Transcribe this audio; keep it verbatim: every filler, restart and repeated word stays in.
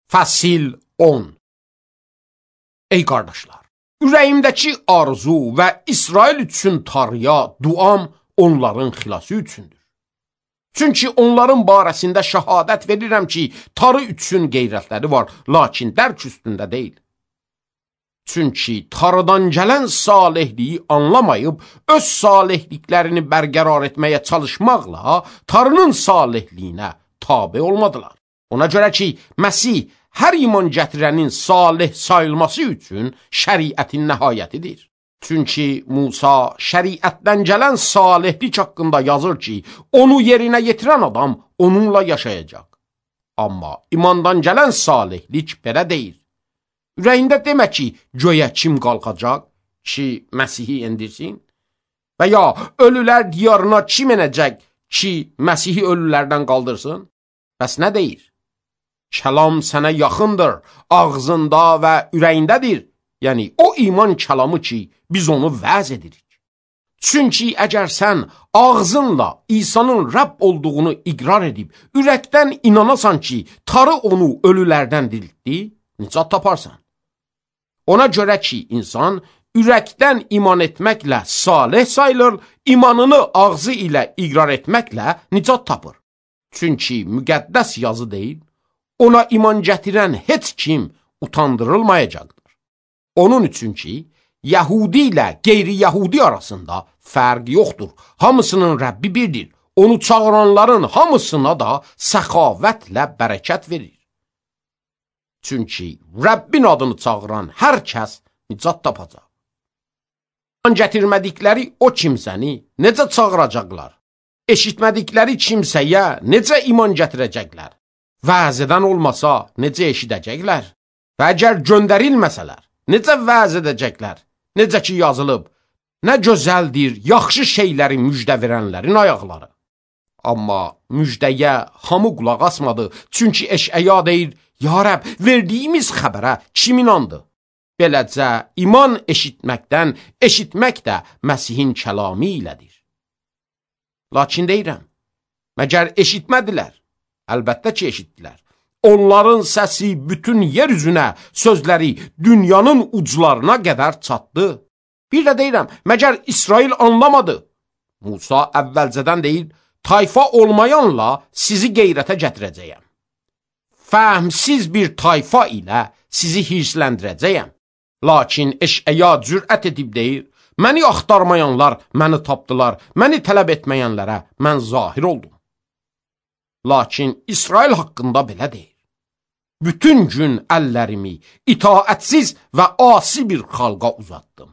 Fəsil on. Ey qardaşlar, ürəyimdəki arzu və İsrail üçün Tanrıya duam onların xilası üçündür. Çünki onların barəsində şəhadət verirəm ki, Tanrı üçün qeyrətləri var, lakin dərk üstündə deyil. Çünki Tanrıdan gələn salihliyi anlamayıb, öz salihliklərini bərqərar etməyə çalışmaqla Tanrının salihliyinə tabe olmadılar. Ona görə ki, Məsih hər iman gətirənin salih sayılması üçün şəriətin nəhayətidir. Çünki Musa şəriətdən gələn salihlik haqqında yazır ki, onu yerinə yetirən adam onunla yaşayacaq. Amma imandan gələn salihlik belə deyil. Ürəyində demə ki, göyə kim qalxacaq ki, Məsihi endirsin? Və ya ölülər diyarına kim enəcək ki, Məsihi ölülərdən qaldırsın? Bəs nə deyir? Kəlam sənə yaxındır, ağzında və ürəyindədir. Yəni, o iman kəlamı ki, biz onu vəz edirik. Çünki əgər sən ağzınla İsa'nın Rəbb olduğunu iqrar edib, ürəkdən inanasan ki, Tanrı onu ölülərdən diriltdi, nicat taparsan. Ona görə ki, insan ürəkdən iman etməklə salih sayılır, imanını ağzı ilə iqrar etməklə nicat tapır. Çünki müqəddəs yazı deyil, ona iman gətirən heç kim utandırılmayacaqdır. Onun üçün ki, Yəhudi ilə qeyri-Yəhudi arasında fərq yoxdur. Hamısının Rəbbi birdir. Onu çağıranların hamısına da səxavətlə bərəkət verir. Çünki Rəbbin adını çağıran hər kəs nicat tapacaq. İman gətirmədikləri o kimsəni necə çağıracaqlar? Eşitmədikləri kimsəyə necə iman gətirəcəklər? Vəz edən olmasa necə eşidəcəklər? Və əgər göndərilməsələr, necə vəz edəcəklər? Necə ki yazılıb, nə gözəldir yaxşı şeyləri müjdə verənlərin ayaqları. Amma müjdəyə hamı qulaq asmadı, çünki Eşəya deyir, ya Rəbb, verdiyimiz xəbərə kim inandı? Beləcə, iman eşitməkdən, eşitmək də Məsihin kəlamı ilədir. Lakin deyirəm, məgər eşitmədilər? Əlbəttə ki, eşitdilər. Onların səsi bütün yer üzünə, sözləri dünyanın uclarına qədər çatdı. Bir də deyirəm, məgər İsrail anlamadı? Musa əvvəlcədən deyir, tayfa olmayanla sizi qeyrətə gətirəcəyəm. Fəhmsiz bir tayfa ilə sizi hirsləndirəcəyəm. Lakin Eşəya cürət edib deyir, məni axtarmayanlar məni tapdılar, məni tələb etməyənlərə mən zahir oldum. Lakin İsrail haqqında belə deyir. Bütün gün əllərimi itaətsiz və asi bir xalqa uzatdım.